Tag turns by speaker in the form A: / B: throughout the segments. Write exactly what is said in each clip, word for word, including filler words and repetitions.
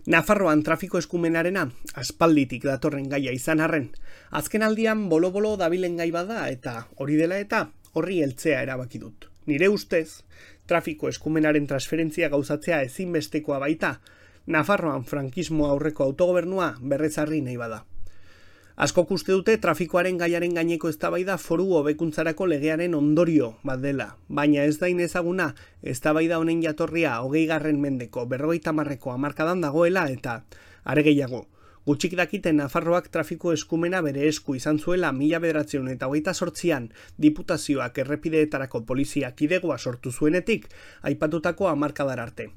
A: Nafarroan trafiko eskumenarena aspalditik datorren gaia izan arren, azken aldian bolo-bolo dabilen gai bada eta hori dela eta horri heltzea erabaki dut. Nire ustez, trafiko eskumenaren transferentzia gauzatzea ezinbestekoa baita, Nafarroan frankismo aurreko autogobernua berrezarri nahi bada. Askok uste dute trafikoaren gaiaren gaineko eztabaida foru hobekuntzarako legearen ondorio bat dela, baina ez da inezaguna eztabaida honen jatorria hogeigarren mendeko berrogeita hamarreko hamarkadan dagoela eta are gehiago. Gutxik dakiten Nafarroak trafiko eskumena bere esku izan zuela mila bederatziehun eta hogeita zortzian diputazioak errepideetarako polizia kidegoa sortu zuenetik aipatutako hamarkadar arte.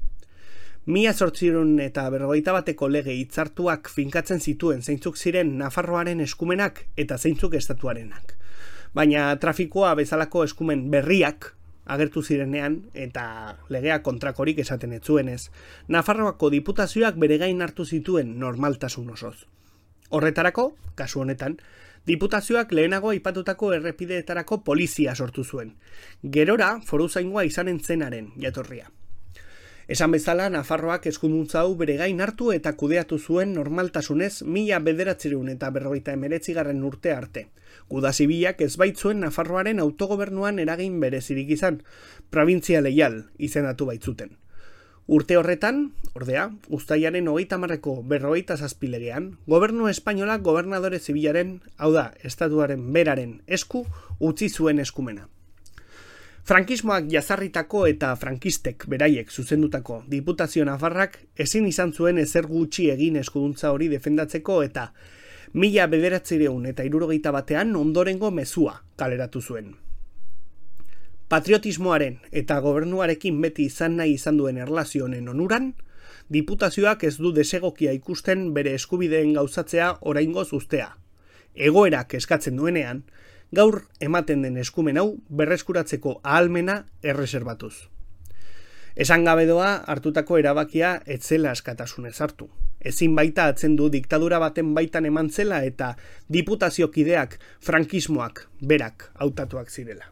A: Mila zortziehun eta berrogeita bateko lege hitzartuak finkatzen zituen zeintzuk ziren Nafarroaren eskumenak eta zeintzuk estatuarenak. Baina trafikoa bezalako eskumen berriak agertu zirenean eta legea kontrakorik esaten ez zuenez, Nafarroako diputazioak bere gain hartu zituen normaltasun osoz. Horretarako, kasu honetan, diputazioak lehenago aipatutako errepideetarako polizia sortu zuen. Gerora foruzaingoa izanen zenaren jatorria. Esan bezala, Nafarroak eskuduntza hau bere gain hartu eta kudeatu zuen normaltasunez mila bederatziehun eta berrogeita hemeretzigarren urte arte. Guda zibilak ez baitzuen Nafarroaren autogobernuan eragin berezirik izan, probintzia leial izendatu baitzuten. Urte horretan, ordea, uztailaren hogeita hamarreko berrogeita zazpi legean, gobernu espainolak gobernadore zibilaren, hau da, estatuaren beraren esku utzi zuen eskumena. Frankismoak jazarritako eta frankistek beraiek zuzendutako diputazio nafarrak ezin izan zuen ezer gutxi egin eskuduntza hori defendatzeko eta mila bederatziehun eta hirurogeita batean ondorengo mezua kaleratu zuen. Patriotismoaren eta gobernuarekin beti izan nahi izan duen erlazio honen onuran, diputazioak ez du desegokia ikusten bere eskubideen gauzatzea oraingoz uztea. Egoerak eskatzen duenean, gaur ematen den eskumen hau berreskuratzeko ahalmena erreserbatuz. Esan gabe doa hartutako erabakia ez zela askatasunez hartu. Ezin baita atzen du diktadura baten baitan eman zela eta diputaziokideak frankismoak berak hautatuak zirela.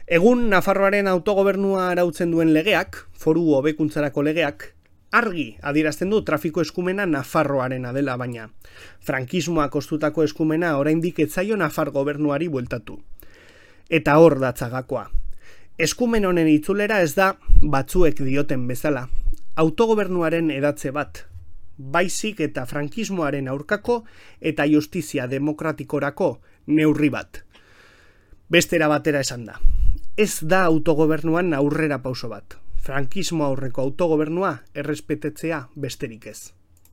A: Egun Nafarroaren autogobernua arautzen duen legeak, foru hobekuntzarako legeak, argi adierazten du trafiko eskumena Nafarroarena dela, baina frankismoak ostutako eskumena oraindik ez zaio Nafar gobernuari bueltatu. Eta hor datzagakoa. Eskumen honen itzulera ez da batzuek dioten bezala, autogobernuaren edatze bat, baizik eta frankismoaren aurkako eta justizia demokratikorako neurri bat. Bestera batera esan da. Ez da autogobernuan aurrera pauso bat. Frankismo aurreko autogobernua errespetetzea besterik ez.